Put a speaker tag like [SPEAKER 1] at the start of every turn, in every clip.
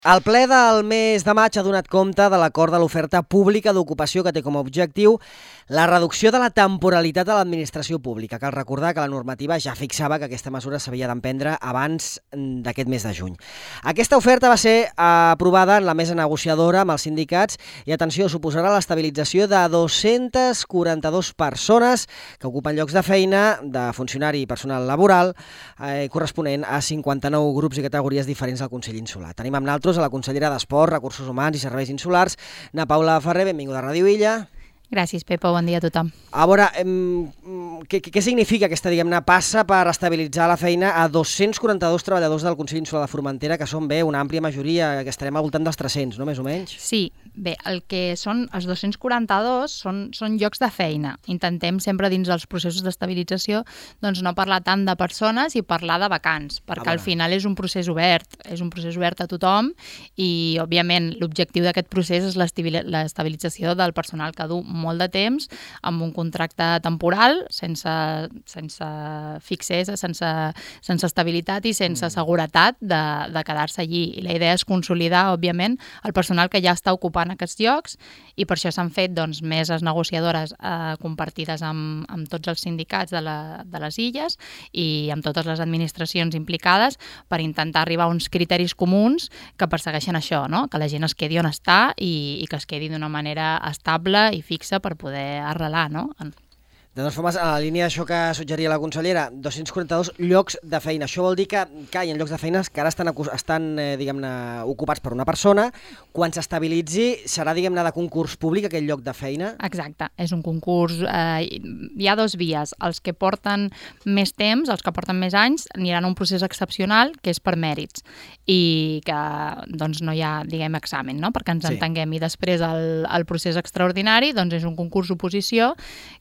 [SPEAKER 1] El ple del mes de maig ha donat compte de l'acord de l'oferta pública d'ocupació que té com a objectiu la reducció de la temporalitat de l'administració pública. Cal recordar que la normativa ja fixava que aquesta mesura s'havia d'emprendre abans d'aquest mes de juny. Aquesta oferta va ser aprovada en la mesa negociadora amb els sindicats i, atenció, suposarà l'estabilització de 242 persones que ocupen llocs de feina de funcionari i personal laboral corresponent a 59 grups i categories diferents del Consell Insular. Tenim amb nosaltres a la consellera d'Esport, Recursos Humans i Serveis Insulars, Ana Paula Ferrer. Benvinguda a Ràdio Illa.
[SPEAKER 2] Gràcies, Pepa. Bon dia a tothom.
[SPEAKER 1] A veure, què significa aquesta, passa per estabilitzar la feina a 242 treballadors del Consell Insular de Formentera, que són una àmplia majoria, que estarem al voltant dels 300, no?, més o menys?
[SPEAKER 2] Sí, bé, el que són els 242 són llocs de feina. Intentem sempre dins dels processos d'estabilització doncs no parlar tant de persones i parlar de vacants, perquè al final és un procés obert a tothom i, òbviament, l'objectiu d'aquest procés és l'estabilització del personal que du molt de temps amb un contracte temporal, sense fixes, sense estabilitat i sense seguretat de quedar-se allí. I la idea és consolidar, òbviament, el personal que ja està ocupant aquests llocs i per això s'han fet meses negociadores compartides amb tots els sindicats de les illes i amb totes les administracions implicades per intentar arribar a uns criteris comuns que persegueixen això, no? Que la gent es quedi on està i que es quedi d'una manera estable i fixa per poder arrelar, no?
[SPEAKER 1] De totes formes, a la línia d'això que suggeria la consellera, 242 llocs de feina. Això vol dir que hi ha llocs de feina que ara estan ocupats per una persona. Quan s'estabilitzi, serà, de concurs públic aquell lloc de feina?
[SPEAKER 2] Exacte, és un concurs. Hi ha dues vies. Els que porten més temps, els que porten més anys, aniran a un procés excepcional, que és per mèrits, i que no hi ha, examen, no?, perquè ens entenguem. I després el procés extraordinari és un concurs oposició,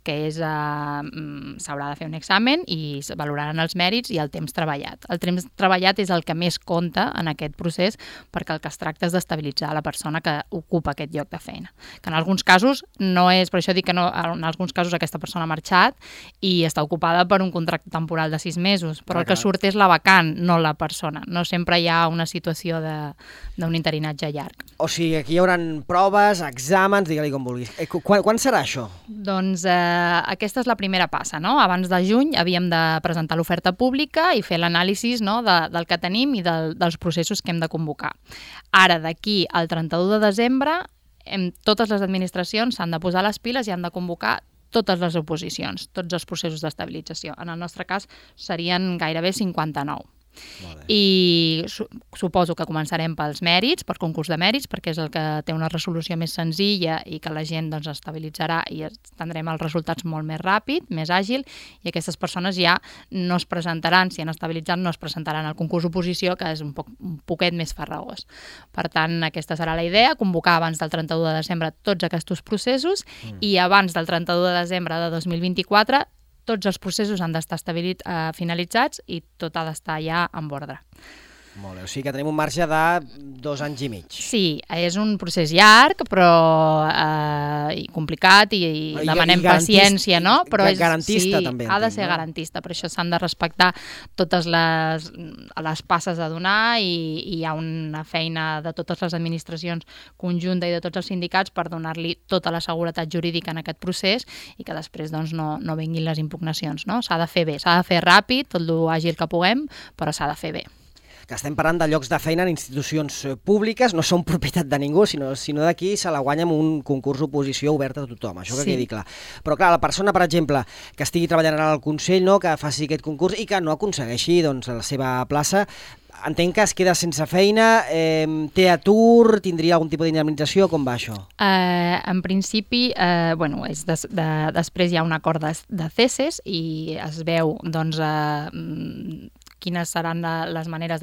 [SPEAKER 2] que és s'haurà de fer un examen i es valoraran els mèrits i el temps treballat. El temps treballat és el que més compta en aquest procés perquè el que es tracta és d'estabilitzar la persona que ocupa aquest lloc de feina. Que en alguns casos no és, per això dic que no, en alguns casos aquesta persona ha marxat i està ocupada per un contracte temporal de 6 mesos, però el que surt és la vacant, no la persona. No sempre hi ha una situació d'un interinatge llarg.
[SPEAKER 1] O sigui, aquí hi haurà proves, exàmens, digue-li com vulguis. Quan serà això?
[SPEAKER 2] Doncs aquesta és la primera passa, no? Abans de juny havíem de presentar l'oferta pública i fer l'anàlisi, no, del que tenim i dels processos que hem de convocar. Ara, d'aquí al 31 de desembre, totes les administracions s'han de posar les piles i han de convocar totes les oposicions, tots els processos d'estabilització. En el nostre cas serien gairebé 59. I suposo que començarem pels mèrits, per concurs de mèrits, perquè és el que té una resolució més senzilla i que la gent estabilitzarà i tindrem els resultats molt més ràpid, més àgil, i aquestes persones ja no es presentaran, si han estabilitzat, no es presentaran al concurs oposició, que és un poquet més farragós. Per tant, aquesta serà la idea, convocar abans del 31 de desembre tots aquests processos i abans del 31 de desembre de 2024 tots els processos han d'estar finalitzats i tot ha d'estar ja en ordre.
[SPEAKER 1] Molt bé, o sigui que tenim un marge de 2 anys i mig.
[SPEAKER 2] Sí, és un procés llarg, però complicat i demanem paciència, no? Però
[SPEAKER 1] garantista també.
[SPEAKER 2] Ha de ser garantista, per això s'han de respectar totes les passes a donar i hi ha una feina de totes les administracions conjunta i de tots els sindicats per donar-li tota la seguretat jurídica en aquest procés i que després no vinguin les impugnacions, no? S'ha de fer bé, s'ha de fer ràpid, tot l'àgil que puguem, però s'ha de fer bé.
[SPEAKER 1] Que estem parlant de llocs de feina en institucions públiques, no són propietat de ningú, sinó d'aquí se la guanya amb un concurs d'oposició obert a tothom, això que quedi clar. Però clar, la persona, per exemple, que estigui treballant al Consell, que faci aquest concurs i que no aconsegueixi la seva plaça, entenc que es queda sense feina, té atur, tindria algun tipus d'indemnització, com va això?
[SPEAKER 2] En principi, després hi ha un acord de ceses i es veu, quines seran les maneres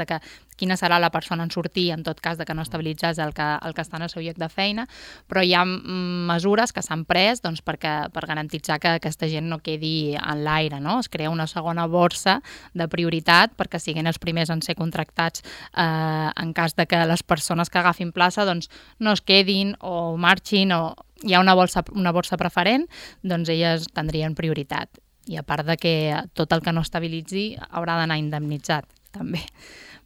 [SPEAKER 2] quina serà la persona en sortir en tot cas de que no estabilitzés el que està en el seu lloc de feina, però hi ha mesures que s'han pres per garantitzar que aquesta gent no quedi en l'aire, no? Es crea una segona borsa de prioritat perquè siguin els primers en ser contractats en cas de que les persones que agafin plaça no es quedin o marxin o hi ha una borsa preferent, elles tindrien prioritat. I a part de que tot el que no estabilitzi haurà d'anar indemnitzat, també.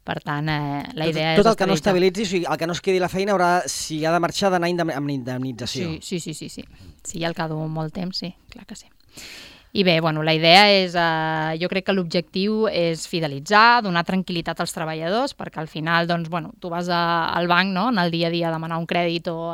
[SPEAKER 2] Per tant, la idea és
[SPEAKER 1] tot el que no
[SPEAKER 2] estabilitzar.
[SPEAKER 1] estabilitzi, o sigui, el que no es quedi la feina, si ha de marxar, d'anar amb indemnització.
[SPEAKER 2] Sí. Sí, al cap d'un molt temps, sí, clar que sí. I bé, bueno, la idea és, jo crec que l'objectiu és fidelitzar, donar tranquil·litat als treballadors, perquè al final, doncs, bueno, tu vas al banc, no?, en el dia a dia a demanar un crèdit o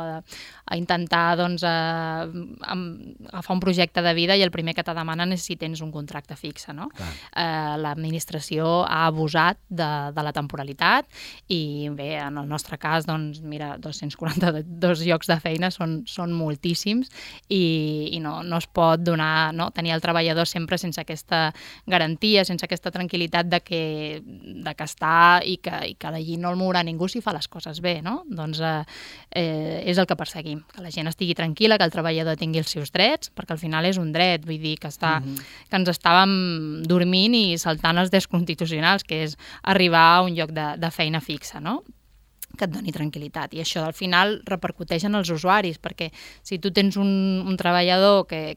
[SPEAKER 2] a intentar, doncs, agafar un projecte de vida i el primer que te demanen és si tens un contracte fixe, no? L'administració ha abusat de la temporalitat i bé, en el nostre cas, doncs, mira, 242 llocs de feina són moltíssims i no es pot donar, no?, tenir el treballador sempre sense aquesta garantia, sense aquesta tranquil·litat de que està i que d'allí no el mourà ningú si fa les coses bé, no? Doncs és el que perseguim, que la gent estigui tranquil·la, que el treballador tingui els seus drets, perquè al final és un dret, vull dir que ens estàvem dormint i saltant els drets constitucionals, que és arribar a un lloc de feina fixa, no?, que et doni tranquil·litat. I això al final repercuteix en els usuaris, perquè si tu tens un treballador que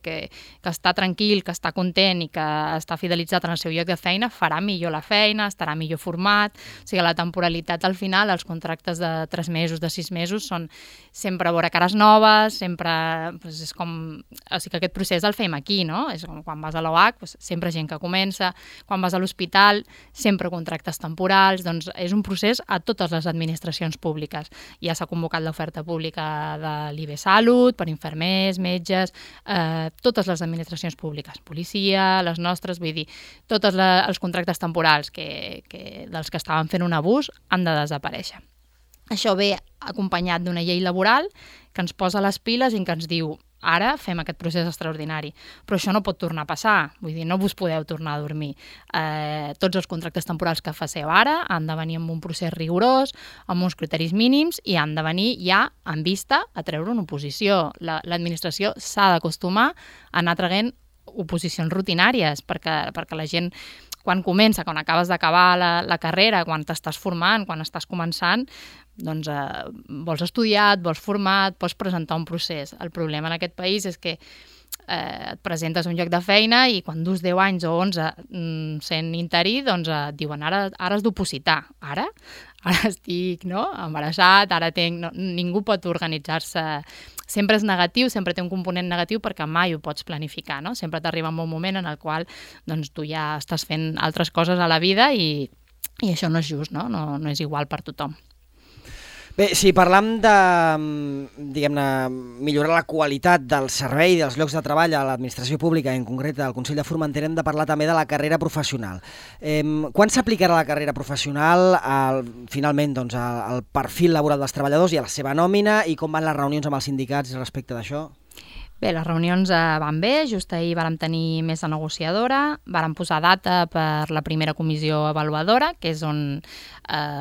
[SPEAKER 2] està tranquil, que està content i que està fidelitzat en el seu lloc de feina, farà millor la feina, estarà millor format. O sigui, la temporalitat al final, els contractes de 3 mesos, de 6 mesos, són sempre veure cares noves, sempre... Doncs és com... O sigui, que aquest procés el fem aquí, no? És com quan vas a l'OH, doncs sempre gent que comença, quan vas a l'hospital, sempre contractes temporals, doncs és un procés a totes les administracions públiques. Ja s'ha convocat l'oferta pública de l'IBSalut, per infermers, metges, totes les administracions públiques, policia, les nostres, vull dir, tots els contractes temporals dels que estaven fent un abús han de desaparèixer. Això ve acompanyat d'una llei laboral que ens posa les piles i que ens diu ara fem aquest procés extraordinari, però això no pot tornar a passar, vull dir, no vos podeu tornar a dormir. Tots els contractes temporals que faceu ara han de venir amb un procés rigorós, amb uns criteris mínims i han de venir ja en vista a treure una oposició. L'administració s'ha d'acostumar a anar traient oposicions rutinàries, perquè la gent, quan comença, quan acabes d'acabar la carrera, quan t'estàs formant, quan estàs començant, doncs vols estudiar, et vols formar, et pots presentar un procés. El problema en aquest país és que et presentes a un lloc de feina i quan dus 10 anys o 11 sent interí, doncs et diuen ara has d'opositar. Ara estic embarassat, ara ningú pot organitzar-se. Sempre és negatiu, sempre té un component negatiu perquè mai ho pots planificar, no? Sempre t'arriba un moment en el qual doncs, tu ja estàs fent altres coses a la vida i això no és just, no? No és igual per tothom.
[SPEAKER 1] Bé, si parlam de, diguem-ne, millorar la qualitat del servei i dels llocs de treball a l'administració pública, en concret al Consell de Formentera, hem de parlar també de la carrera professional. Quan s'aplicarà la carrera professional finalment doncs, al perfil laboral dels treballadors i a la seva nòmina i com van les reunions amb els sindicats respecte d'això?
[SPEAKER 2] Bé, les reunions van bé, just ahir vàrem tenir mesa negociadora, vàrem posar data per la primera comissió avaluadora, que és on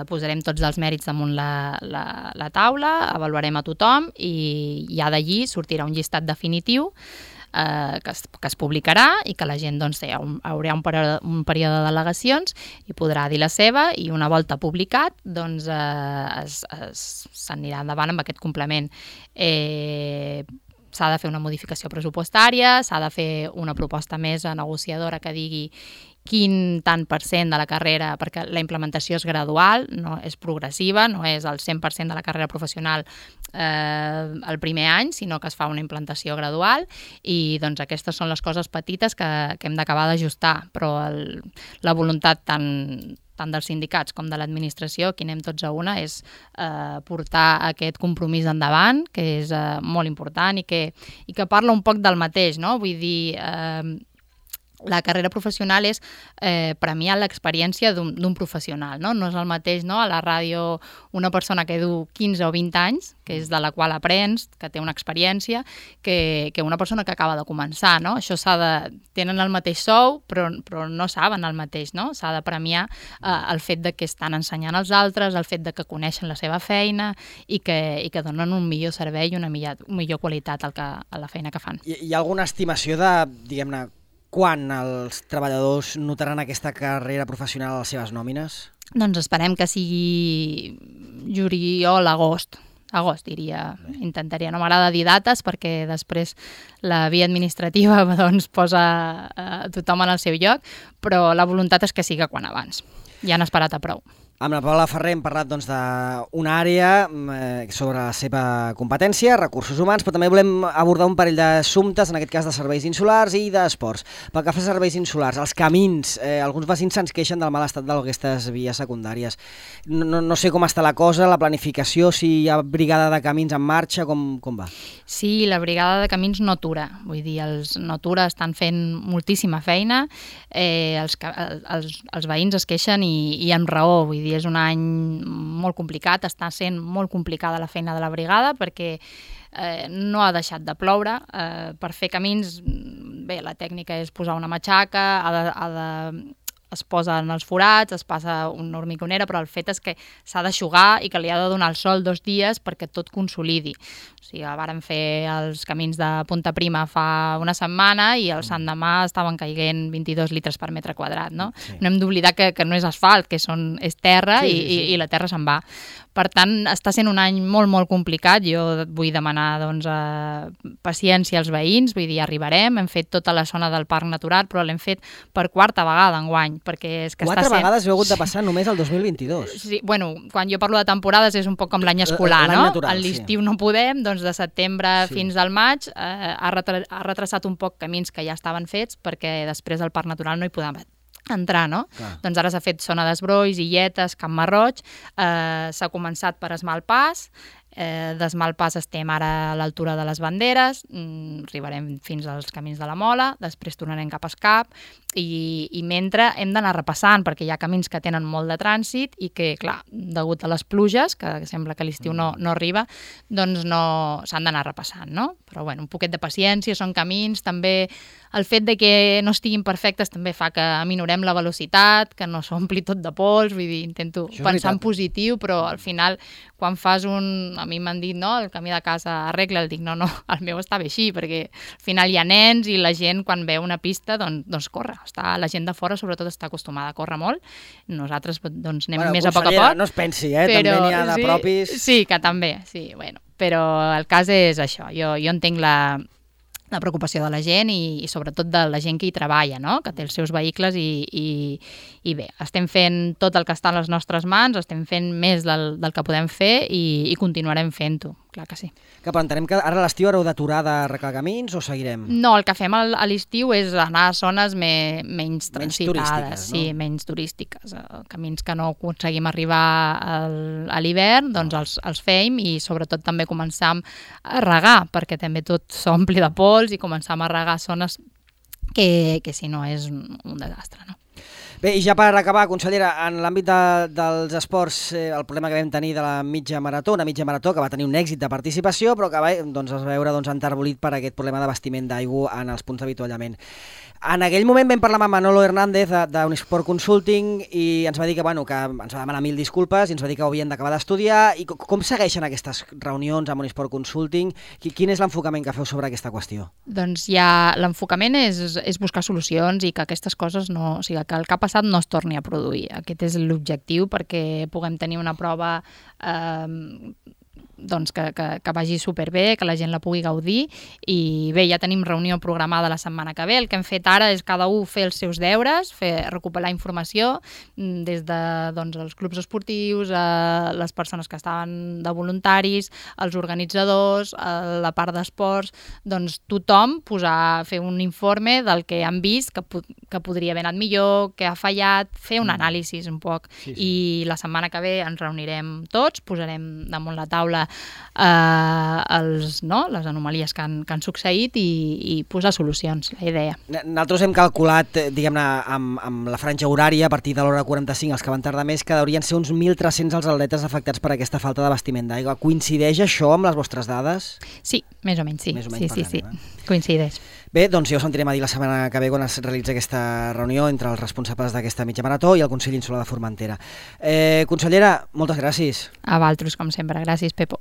[SPEAKER 2] posarem tots els mèrits damunt la taula, avaluarem a tothom i ja d'allí sortirà un llistat definitiu que es publicarà i que la gent doncs, haurà un període de delegacions i podrà dir la seva i una volta publicat doncs, s'anirà endavant amb aquest complement. S'ha de fer una modificació pressupostària, s'ha de fer una proposta més negociadora que digui quin tant % de la carrera, perquè la implementació és gradual, no és progressiva, no és el 100% de la carrera professional el primer any, sinó que es fa una implantació gradual i doncs aquestes són les coses petites que hem d'acabar d'ajustar, però la voluntat tant dels sindicats com de l'administració, aquí anem tots a una, és portar aquest compromís endavant, que és molt important i que parla un poc del mateix, no? Vull dir, la carrera professional és premiar l'experiència d'un professional, no? No és el mateix, no? A la ràdio una persona que du 15 o 20 anys, que és de la qual aprens, que té una experiència, que una persona que acaba de començar, no? Això tenen el mateix sou, però no saben el mateix, no? S'ha de premiar el fet de que estan ensenyant als altres, el fet de que coneixen la seva feina i que donen un millor servei i una millor qualitat a la feina que fan.
[SPEAKER 1] Hi ha alguna estimació de, diguem-ne, quan els treballadors notaran aquesta carrera professional a les seves nòmines?
[SPEAKER 2] Doncs esperem que sigui juliol, agost, diria. Intentaria, no m'agrada dir dates perquè després la via administrativa doncs, posa tothom en el seu lloc, però la voluntat és que siga quan abans. Ja han esperat a prou.
[SPEAKER 1] Amb la Paula Ferrer hem parlat d'una àrea sobre la seva competència, recursos humans, però també volem abordar un parell d'assumptes, en aquest cas de serveis insulars i d'esports. Pel que fa a serveis insulars, els camins, alguns veïns se'ns queixen del mal estat d'aquestes vies secundàries. No sé com està la cosa, la planificació, si hi ha brigada de camins en marxa, com va?
[SPEAKER 2] Sí, la brigada de camins no atura, vull dir, els no atura, estan fent moltíssima feina, els veïns es queixen i amb raó, vull dir, és un any molt complicat, està sent molt complicada la feina de la brigada perquè no ha deixat de ploure. Per fer camins, bé, la tècnica és posar una matxaca, es posa en els forats, es passa una hormigonera, però el fet és que s'ha d'aixugar i que li ha de donar el sol 2 dies perquè tot consolidi. O sigui, vàrem fer els camins de Punta Prima fa una setmana i el Sant Demà estaven caient 22 litres per metre quadrat, no? Sí. No hem d'oblidar que no és asfalt, que és terra i la terra se'n va. Per tant, està sent un any molt, molt complicat. Jo vull demanar paciència als veïns, vull dir, arribarem, hem fet tota la zona del Parc Natural, però l'hem fet per 4a vegada enguany, perquè és que
[SPEAKER 1] 4 vegades heu hagut de passar només el 2022.
[SPEAKER 2] Sí, bueno, quan jo parlo de temporades és un poc com l'any escolar, no?
[SPEAKER 1] Natural,
[SPEAKER 2] a l'estiu no podem, doncs de setembre fins al maig ha retrasat un poc camins que ja estaven fets, perquè després del Parc Natural no hi podem entrar, no? Clar. Doncs ara s'ha fet zona d'Esbrolls, Illetes, Camp Marroig, s'ha començat per Esmalpàs, d'Esmalpàs estem ara a l'altura de les Banderes, arribarem fins als camins de la Mola, després tornarem cap a Escap i mentre hem d'anar repassant perquè hi ha camins que tenen molt de trànsit i que, clar, degut a les pluges, que sembla que l'estiu no arriba, doncs no s'han d'anar repassant, no? Però bueno, un poquet de paciència, són camins, també el fet de que no estiguin perfectes també fa que aminorem la velocitat, que no s'ompli tot de pols, vull dir, intento pensar en positiu, però al final, quan fas a mi m'han dit, no, el camí de casa arregla, dic, no, el meu està bé així, perquè al final hi ha nens i la gent quan veu una pista doncs corre. La gent de fora sobretot està acostumada a córrer molt, nosaltres doncs anem més a poc a poc.
[SPEAKER 1] No es pensi, també n'hi ha de propis.
[SPEAKER 2] Sí, que també, sí, bueno, però el cas és això, jo entenc la preocupació de la gent i sobretot de la gent que hi treballa, no? Que té els seus vehicles i bé, estem fent tot el que està a les nostres mans, estem fent més del que podem fer i continuarem fent-ho, clar que sí.
[SPEAKER 1] Que però entenem que ara a l'estiu haureu d'aturar d'arreglar camins o seguirem?
[SPEAKER 2] No, el que fem a l'estiu és anar a zones menys transitades,
[SPEAKER 1] no?
[SPEAKER 2] Menys turístiques. Camins que no aconseguim arribar a l'hivern, doncs els fem i sobretot també començam a regar, perquè també tot s'ompli de pols i començam a regar zones que si no és un desastre, no?
[SPEAKER 1] Bé, i ja per acabar, consellera, en l'àmbit dels esports, el problema que vam tenir de la mitja marató, una mitja marató que va tenir un èxit de participació, però que es va veure enterbolit per aquest problema d'abastiment d'aigua en els punts d'avituallament. En aquell moment vam parlar amb Manolo Hernández d'Unisport Consulting i ens va dir que ens va demanar 1000 disculpes i ens va dir que ho havien d'acabar d'estudiar. I com segueixen aquestes reunions amb Unisport Consulting? Quin és l'enfocament que feu sobre aquesta qüestió?
[SPEAKER 2] Doncs ja l'enfocament és buscar solucions i que aquestes coses o sigui, que el que ha passat no es torni a produir. Aquest és l'objectiu perquè puguem tenir una prova doncs que vagi superbé, que la gent la pugui gaudir i bé, ja tenim reunió programada la setmana que ve. El que hem fet ara és cada un fer els seus deures, recuperar informació des de els clubs esportius, les persones que estaven de voluntaris, els organitzadors, la part d'esports, doncs tothom fer un informe del que han vist, que podria haver anat millor, que ha fallat, fer un anàlisi un poc. Sí. I la setmana que ve ens reunirem tots, posarem damunt la taula les anomalies que han succeït i posar solucions, la idea.
[SPEAKER 1] Nosaltres hem calculat, diguem-ne, amb la franja horària, a partir de l'hora 45, els que van tardar més, que haurien ser uns 1.300 els atletes afectats per aquesta falta d'abastiment d'aigua. Coincideix això amb les vostres dades?
[SPEAKER 2] Sí, més o menys, sí. Sí. Coincideix.
[SPEAKER 1] Bé, doncs ja ho sentirem a dir la setmana que ve quan es realitza aquesta reunió entre els responsables d'aquesta mitja marató i el Consell Insular de Formentera. Consellera, moltes gràcies.
[SPEAKER 2] A vosaltres, com sempre. Gràcies, Pepo.